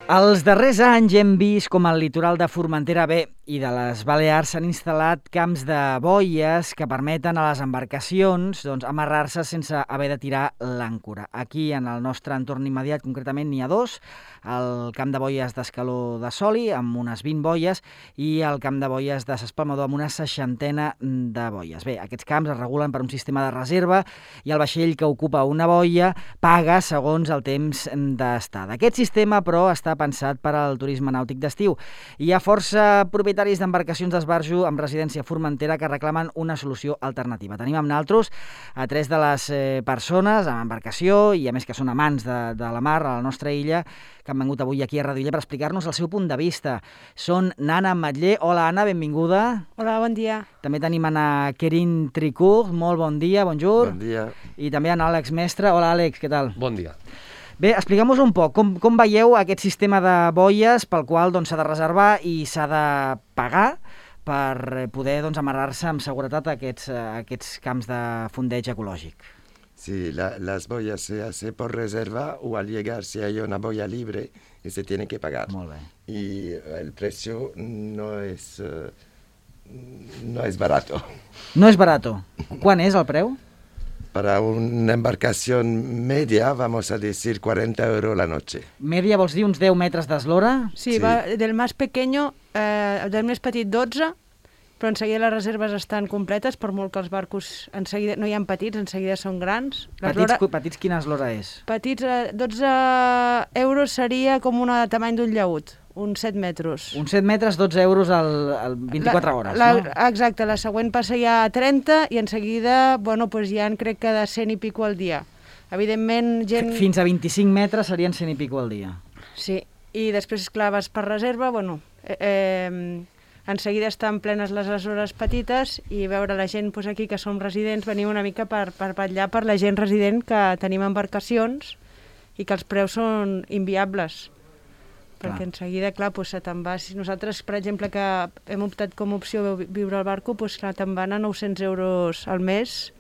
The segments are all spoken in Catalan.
Els darrers anys hem vist com al litoral de Formentera i de les Balears s'han instal·lat camps de boies que permeten a les embarcacions amarrar-se sense haver de tirar l'àncora. Aquí, en el nostre entorn immediat, concretament, n'hi ha dos, el camp de boies d'Escaló de Soli, amb unes 20 boies, i el camp de boies de S'Espalmador, amb una 60 de boies. Bé, aquests camps es regulen per un sistema de reserva i el vaixell que ocupa una boia paga segons el temps d'estada. Aquest sistema, però, està pensat per al turisme nàutic d'estiu. Hi ha força propietaris d'embarcacions d'esbarjo amb residència a Formentera que reclamen una solució alternativa. Tenim amb naltros a 3 de les persones amb embarcació i a més que són amants de la mar a la nostra illa que han vengut avui aquí a Ràdio Illa per explicar-nos el seu punt de vista. Són Nana Ametller. Hola, Anna, benvinguda. Hola, bon dia. També tenim Anna Querin Tricourt. Molt bon dia, bonjour. Bon dia. I també en Àlex Mestre. Hola, Àlex, què tal? Bon dia. Bé, expliquem-nos un poc com veieu aquest sistema de boies pel qual s'ha de reservar i s'ha de pagar per poder amarrar-se amb seguretat a aquests camps de fondeig ecològic. Sí, las boyas se hace por reserva o al llegar si hay una boya libre y se tiene que pagar. Molt bé. Y el precio no es barato. No és barato. Quan és el preu? Para una embarcación media, vamos a decir 40 euros la noche. Media vols dir uns 10 metres d'eslora? Sí, Sí. va del més pequeño, del més petit 12, però en seguida les reserves estan completes, per molt que els barcos en seguida no hi ha petits, en seguida són grans. Petits, quina eslora és? Petits, 12 euros seria com una tamany d'un llaüt, uns 7 metres. Uns 7 metres, 12 euros al 24 hores, no? Exacte, la següent passa ja a 30 i en seguida, ja en crec que de 100 i pico al dia. Evidentment, gent... Fins a 25 metres serien 100 i pico al dia. Sí, i després, clar, vas per reserva, en seguida estan plenes les hores petites i veure la gent aquí que som residents, venim una mica per vetllar per la gent resident que tenim embarcacions i que els preus són inviables. Perquè en seguida, clar, se te'n va... Si nosaltres, per exemple, que hem optat com a opció viure al barco, clar, te'n van a 900 euros al mes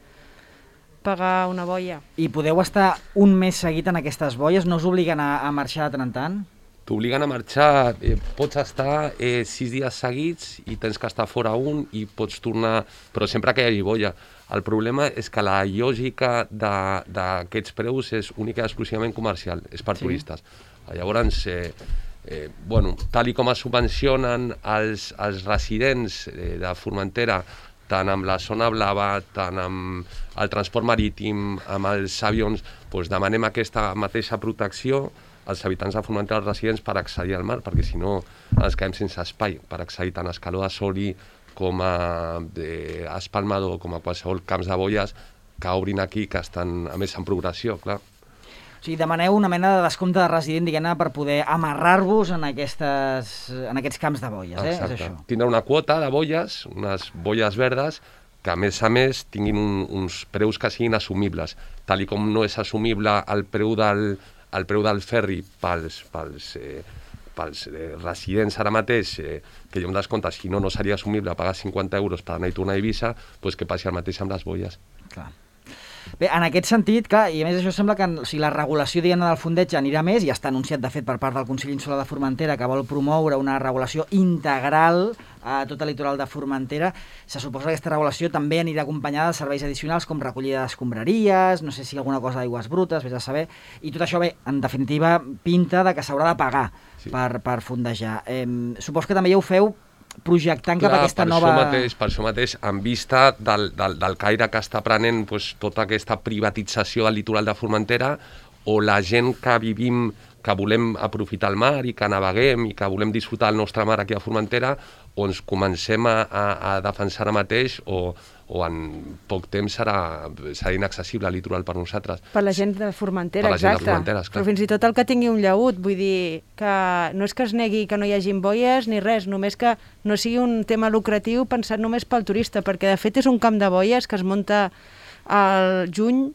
pagar una boia. I podeu estar un mes seguit en aquestes boies? No us obliguen a marxar de tant en tant? T'obliguen a marxar, pots estar 6 dies seguits i tens que estar fora un i pots tornar, però sempre que hi hagi boia. El problema és que la lògica d'aquests preus és única i exclusivament comercial, és per turistes. Llavors, tal com es subvencionen els residents de Formentera, tant amb la zona blava, tant amb el transport marítim, amb els avions, demanem aquesta mateixa protecció als habitants de Formentera, els residents, per accedir al mar, perquè si no ens quedem sense espai per accedir tant a Escaló de Soli com a Espalmador, com a qualsevol camps de boies que obrin aquí, que estan, a més, en progressió, clar. O sigui, demaneu una mena de descompte de resident, diguem-ne, per poder amarrar-vos en aquests camps de boies, Exacte. És això. Tindrà una quota de boies, unes boies verdes, que a més tinguin uns preus que siguin assumibles, tal com no és assumible el preu del ferri pels residents ara mateix, que hi ha un descompte, si no seria assumible pagar 50 euros per anar i tornar a Eivissa, que passi el mateix amb les boies. Clar. Bé, en aquest sentit, clar, i a més això sembla que la regulació del fondeig anirà més, i està anunciat de fet per part del Consell Insular de Formentera que vol promoure una regulació integral a tot el litoral de Formentera. Se suposa que aquesta regulació també anirà acompanyada de serveis addicionals com recollida d'escombraries, no sé si alguna cosa d'aigües brutes, vés a saber, i tot això, en definitiva, pinta de que s'haurà de pagar per fondejar. Suposo que també ja ho feu projectant cap a aquesta nova... Per això mateix, en vista del caire que està prenent tota aquesta privatització del litoral de Formentera, o la gent que vivim, que volem aprofitar el mar i que naveguem i que volem disfrutar el nostre mar aquí a Formentera, o ens comencem a defensar ara mateix o en poc temps serà inaccessible el litoral per nosaltres. Per la gent de Formentera, exacte. Però fins i tot el que tingui un llaüt, vull dir que no és que es negui que no hi hagi boies ni res, només que no sigui un tema lucratiu pensat només pel turista, perquè de fet és un camp de boies que es munta al juny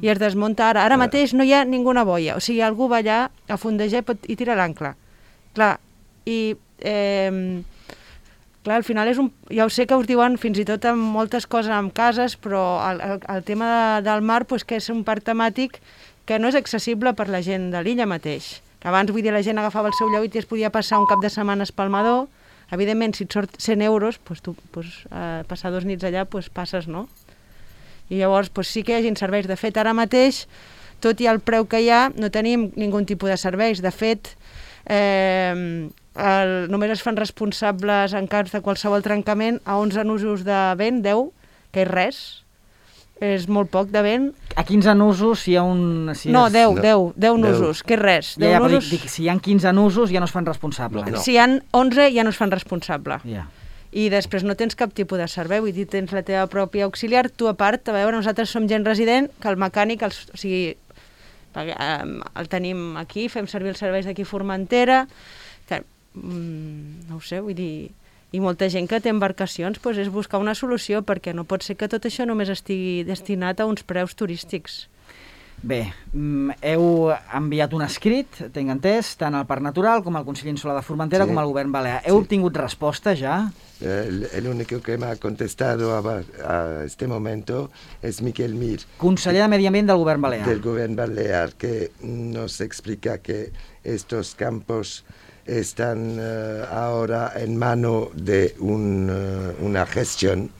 i es desmunta ara. Ara mateix no hi ha ninguna boia, o sigui, algú va allà a fondejar i tira l'àncora. Clar, i... Clar, al final ja ho sé que us diuen fins i tot amb moltes coses amb cases, però el tema del mar que és un parc temàtic que no és accessible per la gent de l'illa mateix. Abans, vull dir, la gent agafava el seu lleuit i es podia passar un cap de setmana a Espalmador. Evidentment, si et surt 100 euros, tu passar 2 nits allà, passes, no? I llavors sí que hi hagin serveis. De fet, ara mateix, tot i el preu que hi ha, no tenim ningú tipus de serveis. De fet, només es fan responsables en cas de qualsevol trencament a 11 nusos de vent, 10, que és res. És molt poc de vent. A 15 nusos hi ha un... No, 10 nusos, que és res. Dic, si hi ha 15 nusos ja no es fan responsables. No. Si hi ha 11 ja no es fan responsable. Yeah. I després no tens cap tipus de servei, vull dir, tens la teva pròpia auxiliar, tu a part, a veure, nosaltres som gent resident, que el mecànic, o sigui, el tenim aquí, fem servir els serveis d'aquí a Formentera, que, no ho sé, vull dir, i molta gent que té embarcacions, doncs és buscar una solució, perquè no pot ser que tot això només estigui destinat a uns preus turístics. Bé, heu enviat un escrit, tenc entès, tant al Parc Natural com al Consell Insular de Formentera com al Govern Balear. Heu obtingut resposta ja? El único que me ha contestado a este momento es Miquel Mir. Conseller de Medi Ambient del Govern Balear. Del Govern Balear, que nos explica que estos campos están ahora en mano de una gestión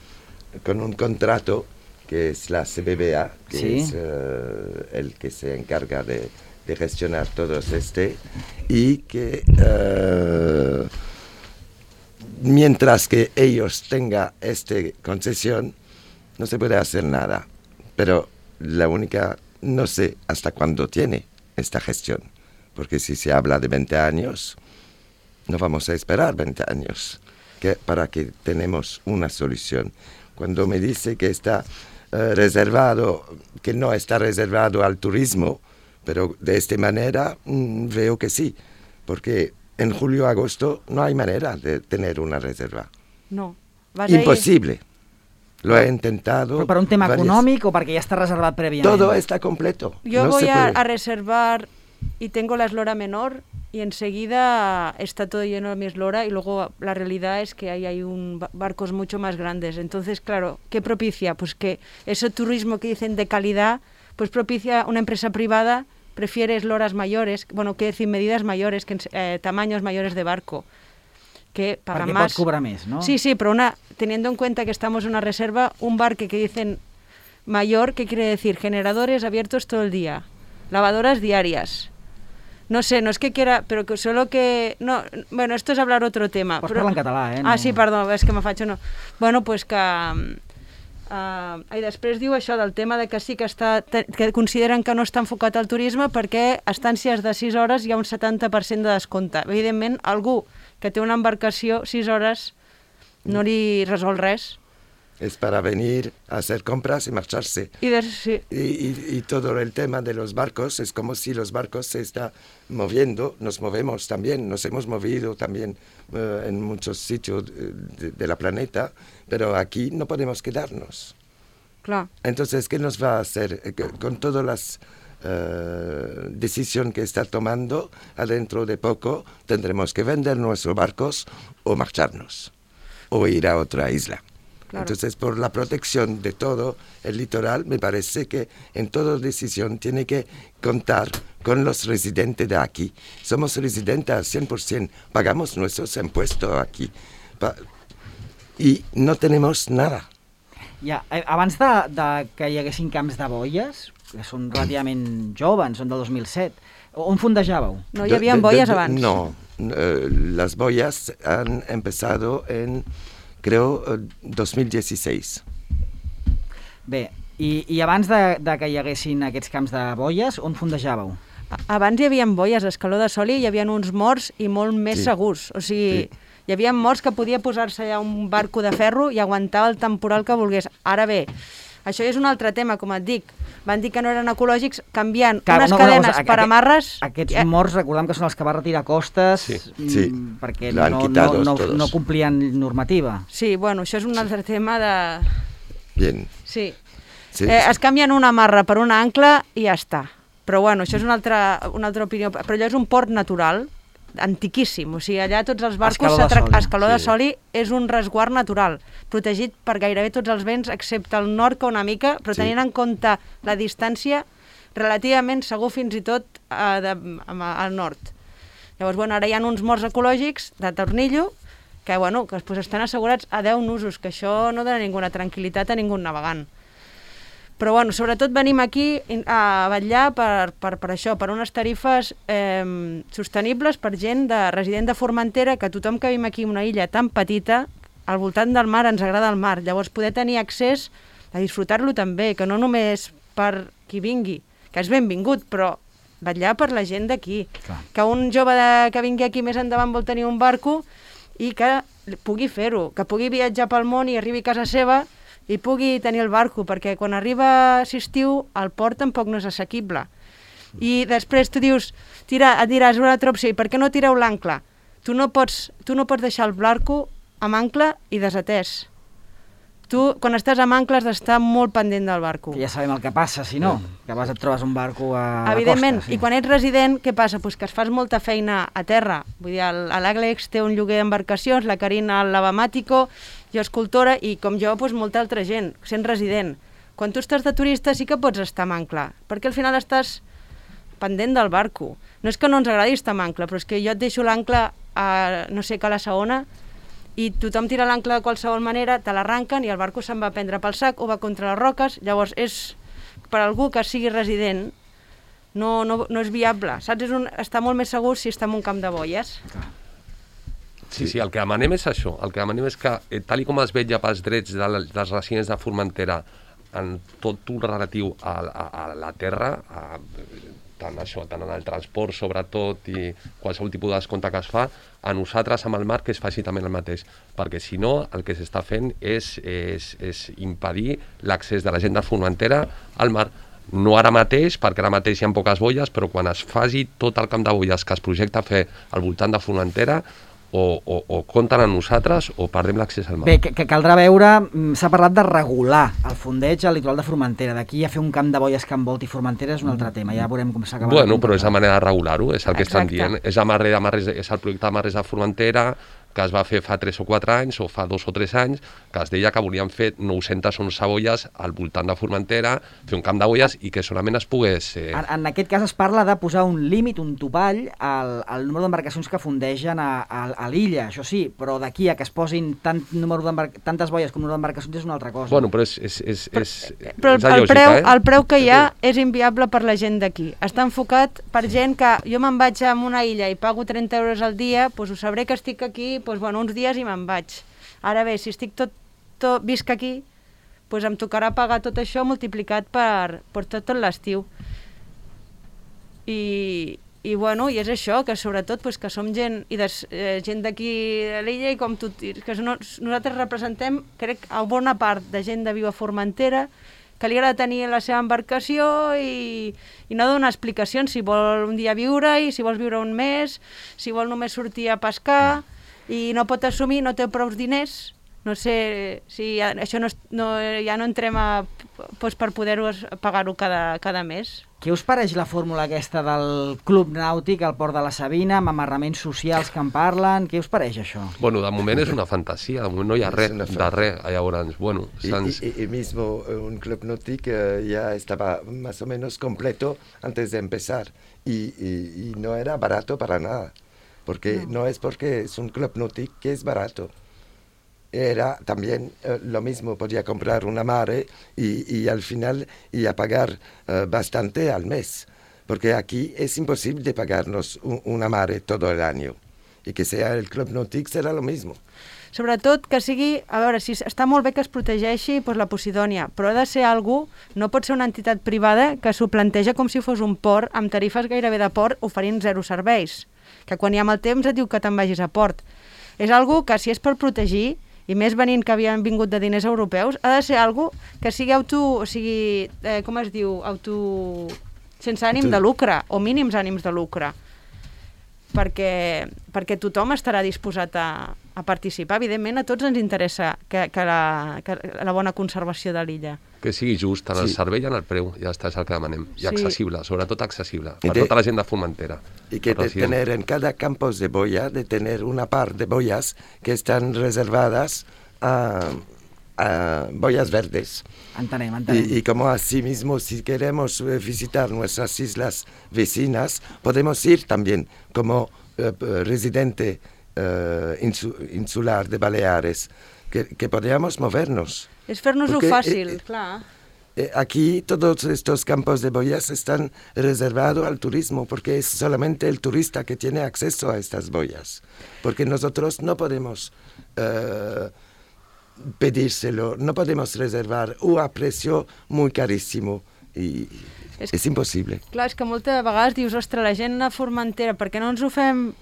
con un contrato que es la CBBA, que es el que se encarga de gestionar todos y que mientras que ellos tengan esta concesión, no se puede hacer nada. Pero la única, no sé hasta cuándo tiene esta gestión, porque si se habla de 20 años, no vamos a esperar 20 años para que tenemos una solución. Cuando me dice que está reservado, que no está reservado al turismo, pero de esta manera veo que sí, porque en julio-agosto no hay manera de tener una reserva. No. Imposible. Lo he intentado. ¿Pero para un tema económico o porque ya está reservado previamente? Todo está completo. Yo voy a reservar y tengo la eslora menor y enseguida está todo lleno de mi eslora y luego la realidad es que ahí hay barcos mucho más grandes. Entonces, claro, ¿qué propicia? Pues que ese turismo que dicen de calidad, pues propicia una empresa privada, prefiere esloras mayores, bueno, quiere decir medidas mayores, que tamaños mayores de barco, que pagan porque más. Pot cobrar més, no? Sí, pero teniendo en cuenta que estamos en una reserva, un barco que dicen mayor, ¿qué quiere decir? Generadores abiertos todo el día, lavadoras diarias. No sé, no es que quiera, pero que solo que... No, bueno, esto es hablar otro tema. Pots parlar en català, eh? No... Ah, sí, perdó, és que me faig no. Bueno, pues que... I després diu això del tema de que sí que que consideren que no està enfocat al turisme perquè a estàncies de 6 hores hi ha un 70% de descompte. Evidentment, algú que té una embarcació 6 hores no li resol res. Es para venir a hacer compras y marcharse. Y todo el tema de los barcos es como si los barcos se están moviendo, nos movemos también, nos hemos movido también en muchos sitios de la planeta, pero aquí no podemos quedarnos. Claro. Entonces, ¿qué nos va a hacer con todas las decisiones que está tomando? Adentro de poco tendremos que vender nuestros barcos o marcharnos o ir a otra isla. Claro. Entonces, por la protección de todo el litoral, me parece que en toda decisión tiene que contar con los residentes de aquí. Somos residentes al 100%, pagamos nuestros impuestos aquí y no tenemos nada. Ja, abans de que hi haguessin camps de boies, que són relativament joves, són del 2007, on fondejàveu? No hi havia boies abans. No, las boyas han empezado en... creo, 2016. Bé, i abans de que hi haguessin aquests camps de boies, on fondejàveu? Abans hi havia boies a Escaló de Soli, hi havia uns morts i molt més segurs. O sigui, hi havia morts que podia posar-se allà un barco de ferro i aguantar el temporal que volgués. Ara bé, això és un altre tema, com et dic. Van dir que no eren ecològics, canviant unes cadenes per amarres... Aquests morts, recordem que són els que va retirar Costes perquè no complien normativa. Sí, bueno, això és un altre tema de... Bien. Sí. Es canvien una amarra per una ancla i ja està. Però bueno, això és una altra opinió. Però allò és un port natural, antiquíssim. O sigui, allà tots els barcos... Escaló de Soli és un resguard natural, protegit per gairebé tots els vents, excepte el nord, que una mica, però tenint en compte la distància, relativament segur fins i tot al nord. Llavors, ara hi ha uns morts ecològics de tornillo que estan assegurats a 10 nusos, que això no dona ninguna tranquil·litat a ningú navegant. Però, sobretot venim aquí a vetllar per això, per unes tarifes sostenibles per gent resident de Formentera, que tothom que vivim aquí en una illa tan petita, al voltant del mar ens agrada el mar, llavors poder tenir accés a disfrutar-lo també, que no només per qui vingui, que és benvingut, però vetllar per la gent d'aquí. Que un jove que vingui aquí més endavant vol tenir un barco i que pugui fer-ho, que pugui viatjar pel món i arribi a casa seva i pugui tenir el barco, perquè quan arriba estiu el port tampoc no és assequible. I després tu dius, et diràs una altra opció, i per què no tireu l'ancle? Tu no pots deixar el barco amb ancle i desatès. Tu, quan estàs amb ancle, has d'estar molt pendent del barco. Que ja sabem el que passa, si no, que et trobes un barco a la costa. Evidentment, i quan ets resident, què passa? Pues que es fas molta feina a terra. Vull dir, l'Àlex té un lloguer d'embarcacions, la Carina el Lavamàtico, jo escultora, i com jo, molta altra gent, sent resident. Quan tu estàs de turista sí que pots estar amb ancle, perquè al final estàs pendent del barco. No és que no ens agradi estar amb ancle, però és que jo et deixo l'ancle a, no sé, a la Saona, i tothom tira l'ancle de qualsevol manera, te l'arranquen i el barco se'n va a prendre pel sac o va contra les roques. Llavors, per algú que sigui resident, no és viable. Saps? Està molt més segur si està en un camp de boies. Sí, el que demanem és això. El que demanem és que, tal com es vetlla pels drets dels residents de Formentera en tot el relatiu a la terra, tant en el transport sobretot i qualsevol tipus de descompte que es fa, a nosaltres amb el mar que es faci també el mateix, perquè si no el que s'està fent és impedir l'accés de la gent de Formentera al mar. No ara mateix, perquè ara mateix hi ha poques boies, però quan es faci tot el camp de boies que es projecta a fer al voltant de Formentera, o compten amb nosaltres o perdem l'accés al mar. Bé, que caldrà veure, s'ha parlat de regular el fondeig al litoral de Formentera. D'aquí a fer un camp de boies que envolti Formentera és un altre tema, ja veurem com s'acaba. Bueno, però és la manera de regular-ho, és el que estan dient. És el projecte de Marres de Formentera, que es va fer fa 3 o 4 anys, o fa 2 o 3 anys, que es deia que volien fer 911 boies al voltant de Formentera, fer un camp de boies i que solament es pogués... En aquest cas es parla de posar un límit, un topall, al número d'embarcacions que fondegen a l'illa, això sí, però d'aquí a que es posin tantes boies com número d'embarcacions és una altra cosa. Bueno, però és però el preu que hi ha és inviable per la gent d'aquí. Està enfocat per gent que jo me'n vaig a una illa i pago 30 euros al dia, doncs ho sabré que estic aquí uns dies i me'n vaig. Ara bé, si estic visc aquí, em tocarà pagar tot això multiplicat per tot l'estiu. I és això, que sobretot que som gent d'aquí a l'illa i com tu, que nosaltres representem, crec, a bona part de gent de viu a Formentera, que li agrada tenir la seva embarcació i no donar explicacions si vol un dia viure-hi, si vols viure un mes, si vol només sortir a pescar, i no pot assumir, no té prou diners. No sé si això ja no entrem per poder-ho pagar-ho cada mes. Què us pareix la fórmula aquesta del Club Nàutic al Port de la Sabina, amb amarraments socials que en parlen? Què us pareix això? Bueno, de moment és una fantasia, de moment no hi ha res de res. Llavors, bueno... Y mismo un Club Náutic ya estaba más o menos completo antes de empezar y no era barato para nada. Porque no es porque es un club náutico que es barato. Era también lo mismo, podía comprar una mare y al final a pagar bastante al mes. Porque aquí es imposible pagarnos una mare todo el año. Y que sea el club náutico serà lo mismo. Sobretot que sigui, a veure, si està molt bé que es protegeixi la Posidònia, però ha de ser algú, no pot ser una entitat privada que s'ho planteja com si fos un port amb tarifes gairebé de port oferint 0 serveis, que quan hi ha mal temps et diu que te'n vagis a port. És algú que si és per protegir, i més venint que havien vingut de diners europeus, ha de ser algú que sigui sense ànim de lucre, o mínims ànims de lucre, perquè tothom estarà disposat a participar. Evidentment, a tots ens interessa que la bona conservació de l'illa. Que sigui just en el servei i en el preu, ja està, és el que demanem. I accessible, sobretot accessible, per tota la gent de Formentera. Y que de tener en cada campus de boya, de tener una par de boyas que están reservadas a boyas verdes. Entenem. Y como asimismo, si queremos visitar nuestras islas vecinas, podemos ir también como residente insular de Baleares, que podríamos movernos. És fer-nos-ho fàcil, clar. Aquí todos estos campos de boyas están reservados al turismo porque es solamente el turista que tiene acceso a estas boyas. Porque nosotros no podemos pedírselo, no podemos reservar a precio muy carísimo y és impossible. Clar, és que moltes vegades dius, ostres, la gent a Formentera, per què no ens ho fem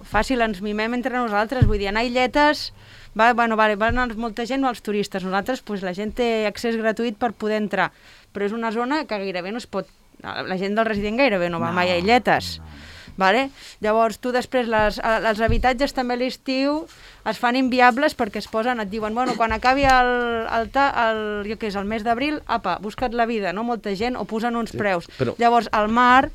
fàcil, ens mimem entre nosaltres, vull dir, anar a illetes, van anar molta gent, els turistes, nosaltres, la gent té accés gratuït per poder entrar, però és una zona que gairebé no es pot, la gent del resident gairebé no va mai a illetes. Vale? Llavors, tu després, els habitatges també a l'estiu es fan inviables perquè es posen, et diuen, bueno, quan acabi el mes d'abril, apa, busca't la vida, no? Molta gent, o posen uns preus. Llavors, al mar,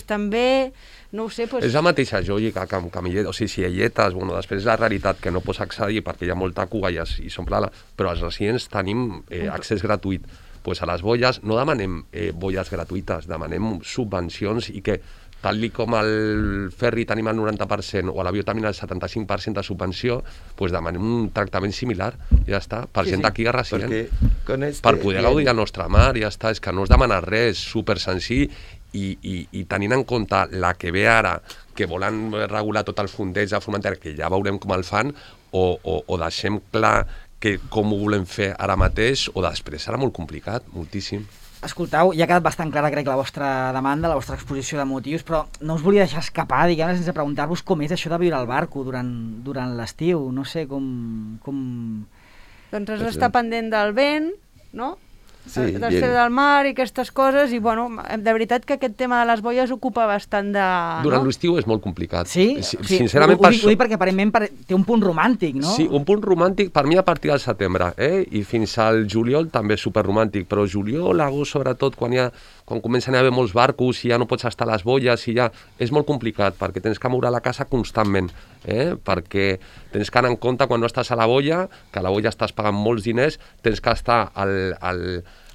també, no ho sé... És la mateixa lògica que amb illetes, o sigui, si illetes, després és la realitat que no pots accedir perquè hi ha molta cuga i s'omple, però els residents tenim accés gratuït. A les boies no demanem boies gratuïtes, demanem subvencions i que tal com al ferri tenim el 90% o a l'avió tenim el 75% de subvenció, demanem un tractament similar, ja està, per gent d'aquí a resident, per poder gaudir del nostre mar, ja està, és que no es demana res, super senzill, i tenint en compte la que ve ara, que volen regular tot el fondeig de Formentera, que ja veurem com el fan, o deixem clar com ho volem fer ara mateix, o després serà molt complicat, moltíssim. Escolteu, ja ha quedat bastant clara, crec, la vostra demanda, la vostra exposició de motius, però no us volia deixar escapar, diguem-ne, sense preguntar-vos com és això de viure al barco durant l'estiu. No sé com... Doncs has d'estar pendent del vent, no? Sí, després del mar i aquestes coses, i de veritat que aquest tema de les boies ocupa bastant de... Durant l'estiu és molt complicat. Sí? Sincerament, ho dic perquè aparentment té un punt romàntic, no? Sí, un punt romàntic per mi a partir del setembre, i fins al juliol també és superromàntic, però juliol, agost, sobretot, quan comencen a haver molts barcos i ja no pots estar a les boies, és molt complicat, perquè tens que moure la casa constantment, perquè tens que anar en compte quan no estàs a la boia, que a la boia estàs pagant molts diners, tens que estar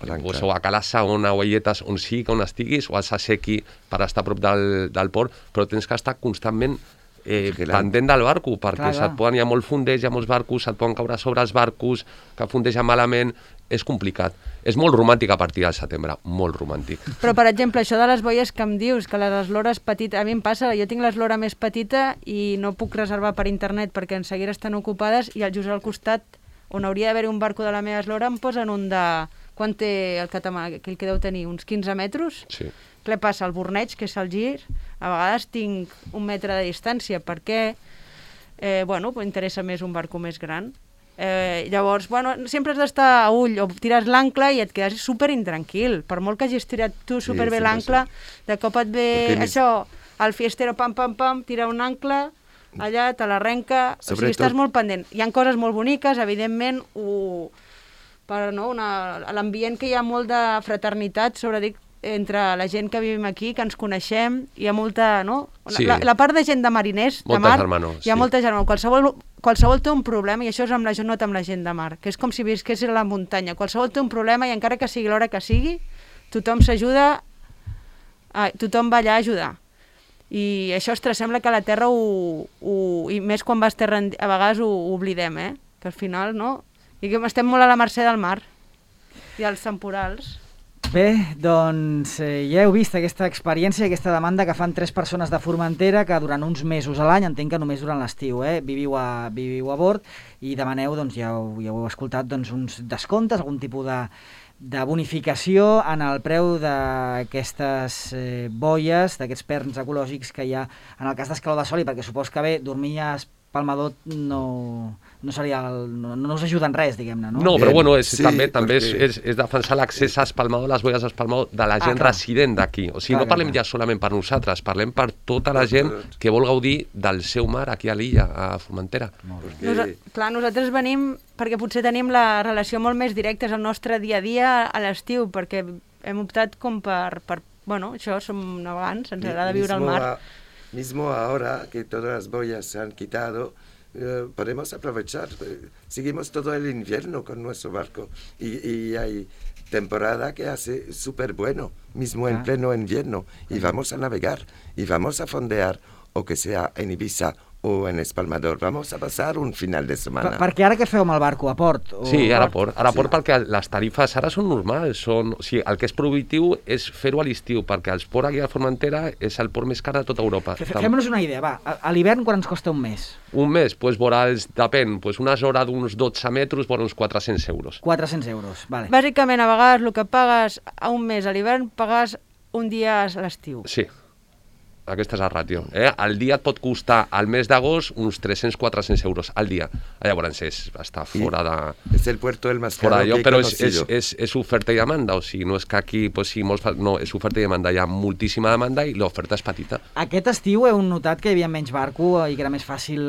o a Cala Saona o a Illetes, on on estiguis, o a Sasequi per estar a prop del port, però tens que estar constantment pendent del barco, perquè hi ha molt fondeig, hi ha molts barcos, se't poden caure sobre els barcos, que fondegen malament, és complicat. És molt romàntic a partir del setembre, molt romàntic. Però, per exemple, això de les boies que em dius, que les eslores petites, a mi em passa, jo tinc l'eslora més petita i no puc reservar per internet perquè en seguida estan ocupades, i just al costat, on hauria d'haver un barco de la meva eslora, em posen un de... Quan té el catamà, aquell que deu tenir? Uns 15 metres? Sí. Què passa? El Borneig, que és el gir, a vegades tinc 1 metre de distància, perquè interessa més un barco més gran. Llavors, sempre has d'estar a ull, o tires l'ancle i et quedes super intranquil. Per molt que hagis tirat tu superbé l'ancle, de cop et ve això, el fiestero, pam, pam, pam, tira un ancle, allà te l'arrenca, o sigui, estàs molt pendent. Hi ha coses molt boniques, evidentment, l'ambient que hi ha molt de fraternitat, sobretot entre la gent que vivim aquí, que ens coneixem, hi ha molta, no? Sí. La part de gent de mariners, de mar, hi ha molta germana. Qualsevol té un problema, i això és amb la gent de mar, que és com si visqués a la muntanya. Qualsevol té un problema, i encara que sigui l'hora que sigui, tothom s'ajuda, tothom va allà a ajudar. I això, ostres, sembla que a la Terra, i més quan vas terra, a vegades ho oblidem, que al final, no? I que estem molt a la mercè del mar i als temporals. Bé, doncs ja heu vist aquesta experiència, aquesta demanda que fan 3 persones de Formentera que durant uns mesos a l'any, entenc que només durant l'estiu, viviu a bord i demaneu, doncs ja ho heu escoltat, doncs, uns descomptes, algun tipus de bonificació en el preu d'aquestes boies, d'aquests perns ecològics que hi ha en el cas d'Escaló de Soli, perquè supos que dormir a Palmador no seria no us ajuda en res, diguem-ne, no? No, però també és defensar l'accés a Espalmador, les boies a Espalmador, de la gent resident d'aquí. O sigui, no parlem ja solament per nosaltres, parlem per tota la gent que vol gaudir del seu mar aquí a l'illa, a Formentera. Clar, nosaltres venim perquè potser tenim la relació molt més directa, és el nostre dia a dia a l'estiu, perquè hem optat com per això, som navegants, ens agrada viure al mar. Mismo ahora que todas las boyas se han quitado, podemos aprovechar. Seguimos todo el invierno con nuestro barco y hay temporada que hace súper bueno, mismo en pleno invierno, y vamos a navegar y vamos a fondear, o que sea en Ibiza o en Espalmador. Vamos a passar un final de setmana. Perquè ara què feu amb el barco? A port? O... Sí, ara a port. Ara a port perquè les tarifes ara són normals. O sigui, el que és prohibitiu és fer-ho a l'estiu, perquè els ports aquí a Formentera és el port més car de tota Europa. Fem-nos una idea, va. A l'hivern quan ens costa un mes? Un mes, doncs depèn, unes hores d'uns 12 metres per uns 400 euros. 400 euros, vale. Bàsicament, a vegades el que pagues a un mes a l'hivern, pagues un dia a l'estiu. Sí. Aquesta és la ràtio. El dia et pot costar al mes d'agost uns 300-400 euros al dia. Llavors està fora de... És el puerto el més caro que he però conocido. és oferta i demanda, o sigui, no és que aquí sí, no, és oferta i demanda, hi ha moltíssima demanda i l'oferta és petita. Aquest estiu heu notat que hi havia menys barco i que era més fàcil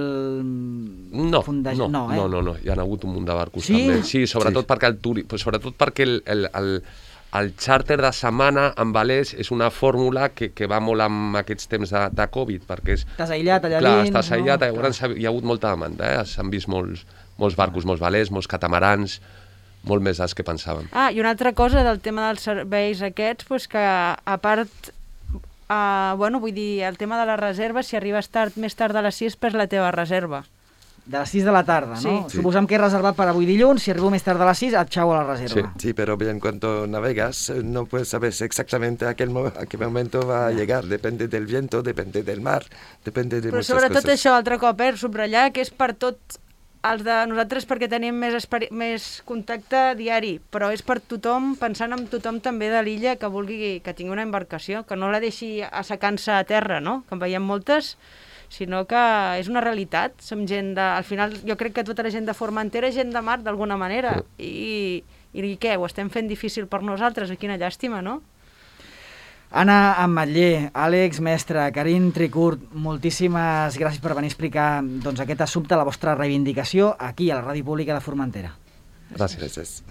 fondejar? No, hi ha hagut un munt de barcos sí? també. Sí, sobretot perquè el xàrter de setmana amb velers és una fórmula que va molt amb aquests temps de Covid, perquè estàs aïllat allà dins. Estàs aïllat, llavors hi ha hagut molta demanda, s'han vist molts barcos, molts velers, molts catamarans, molt més dels que pensàvem. I una altra cosa del tema dels serveis aquests, doncs que a part, vull dir, el tema de la reserva, si arribes més tard de les 6, perds la teva reserva. De les 6 de la tarda, sí. ¿no? Sí. Suposem que he reservat per avui dilluns, si arribo més tard de les 6, et xau a la reserva. Sí, pero bien, cuando navegas no puedes saber exactamente a qué momento va a llegar. Depende del viento, depende del mar, depende de muchas cosas. Però sobretot això, altre cop, subratllar que és per tot els de nosaltres perquè tenim més contacte diari, però és per tothom, pensant en tothom també de l'illa que vulgui que tingui una embarcació, que no la deixi assecant-se a terra, no? Que en veiem moltes, sinó que és una realitat. Som gent de... Al final, jo crec que tota la gent de Formentera és gent de mar, d'alguna manera. I què? Ho estem fent difícil per nosaltres? Quina llàstima, no? Anna Ametller, Àlex Mestre, Karin Tricurt, moltíssimes gràcies per venir a explicar aquest assumpte, la vostra reivindicació, aquí a la Ràdio Pública de Formentera. Gràcies.